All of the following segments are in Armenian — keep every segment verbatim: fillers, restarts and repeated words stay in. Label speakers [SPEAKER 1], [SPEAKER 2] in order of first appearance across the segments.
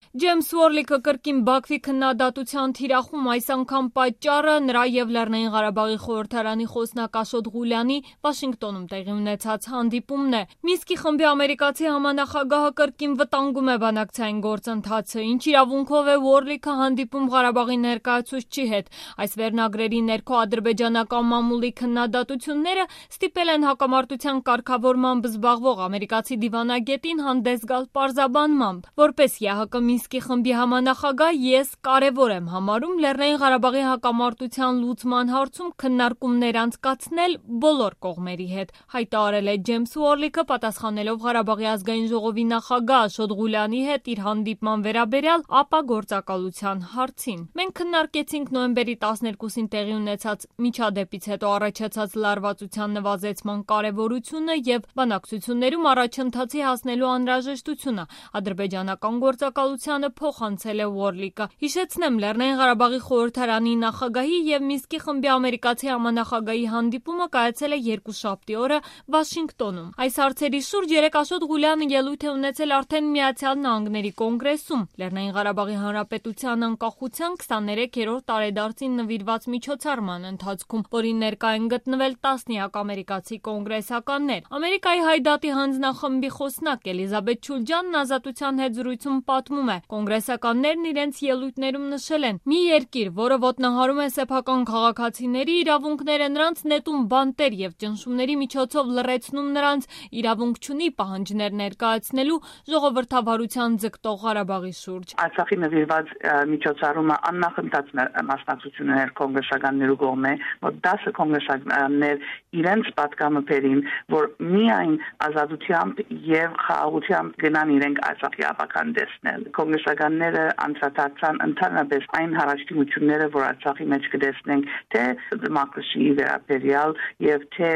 [SPEAKER 1] Ջեյմս Ուորլիքը կրկին Բաքվի քննադատության թիրախում այս անգամ պատճառը նրա և Լեռնային Ղարաբաղի խորհրդարանի խոսնակ Աշոտ Ղուլյանի Վաշինգտոնում տեղի ունեցած հանդիպումն է։ Մինսկի խմբի ամերիկացի համանախագահը կրկին վտանգում է բանակցային գործընթացը, ինչ իրավունքով է Ուորլիքը հանդիպում Ղարաբաղի ներկայացուցչի հետ։ Այս վերնագրերի ներքո ադրբեջանական մամուլի քննադատությունները ստիպել են հակամարտության կարգավորմամբ զբաղվող ամերիկացի դիվանագետին հանդես գալ պարզաբանմամբ, որպես ԵԱՀԿ Մինսկի խմբի համանախագահ ես կարևոր եմ համարում Լեռնային Ղարաբաղի հակամարտության լուծման հարցում քննարկումներ անցկացնել բոլոր կողմերի հետ, հայտարարել է Ջեյմս Ուորլիքը պատասխանելով Ղարաբաղի ազգային ժողովի նախագահ Աշոտ Ղուլյանի հետ իր հանդիպման վերաբերյալ ապագործակալության հարցին։ Մենք քննարկեցինք նոյեմբերի տասներկուսին տեղի ունեցած միջադեպից հետո առաջացած լարվածության նվազեցման կարևորությունը և բանակցություններում առաջընթացի հասնելու անհրաժեշտությունը, ադրբեջանական գործակալությանը փոխանցել է Ուորլիքը։ Հիշեցնեմ, Լեռնային Ղարաբաղի խորհրդարանի նախագահի և Մինսկի խմբի ամերիկացի համանախագահի հանդիպումը կայացել է երկուշաբթի օրը Վաշինգտոնում։ Այս հարցերի շուրջ երեկ Աշոտ Ղուլյանը ելույթ է ունեցել արդեն Միացյալ Նահանգների կոնգրեսում Լեռնային Ղարաբաղի Հանրապետության անկախության քսաներեքերորդ տարեդարձին նվիրված միջոցառման ընթացքում, որին ներկա են գտնվել տասնյակ ամերիկացի կոնգրեսականներ։ Ամերիկայի Հայդատի հանձնախմբի խոսնակ Էլիզաբեթ Չուլջանն Ազատության հետ զրույցում պատմում է. կոնգրեսականներն իրենց ելույթներում նշել են. մի երկիր, որը ոտնահարում է սեփական քաղաքացիների իրավունքները, նրանց նետում բանտեր և ճնշումների միջոցով լռեցնում նրանց, իրավունք չունի պահանջներ ներկայացնելու ժողովրդավարության ձգտող Ղարաբաղի շուրջ։
[SPEAKER 2] Արցախի նվիրված միջոցառումը աննախընթաց մասնակցություններ կոնգրեսականներու կողմէ, որ դասը կոնգրեսականներ իրենց պատկամը բերին, որ միայն ազատությամբ և խաղաղությամբ գնան իրենք Արցախի ապական տեսնել։ Կոնգրեսականները անդրադարձան ընդհանրապես այն հարաճությունները, որ Արցախի մեջ կտեսնենք, թե դեմոկրասիայի վերաբերյալ և թե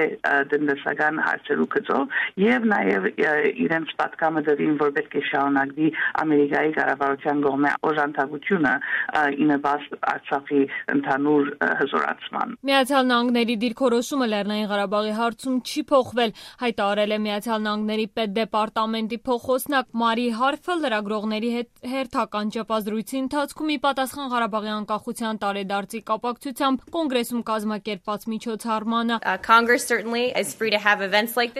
[SPEAKER 2] տնտեսական հարցերու գծով, և նաև իրենց պատկամը դրին, որ պետք է շարունակվի Ամերիկայի կառավարության կողմէ օժանդակությունը ի նպաստ Արցախի ընդհանուր հզորացման։
[SPEAKER 1] Միացյալ Նահանգների դիրքորոշումը Լեռնային Ղարաբաղի հարցում չի փոխվել, հայտարարել է Միացյալ Նահանգների պետդեպարտամենտի փոխխոսնակ Մարի Հարֆը լրագրողների հետ հերթական ճեպազրույցի ընթացքում ի պատասխան Ղարաբաղի անկախության տարեդարձի կապակցությամբ կոնգրեսում կազմակերպված միջոցառմանը։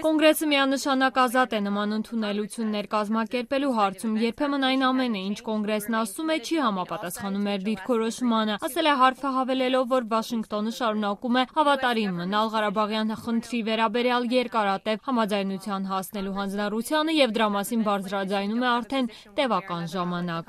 [SPEAKER 1] Կոնգրեսը միանշանակ ազատ է նման ընդունելություններ կազմակերպելու հարցում, երբեմն այն ամենը, ինչ կոնգրեսն ասում է, չի համապատասխանում մեր դիրքորոշմանը, ասել է Հարֆը, հավելելով, որ Վաշինգտոնը շարունակում է հավատարիմ մնալ Ղարաբաղյան խնդրի վերաբերյալ երկարատև համաձայնության հասնելու հանձնառությանը և դրա մասին բարձրաձայնում է արդեն տևական ժամանակ։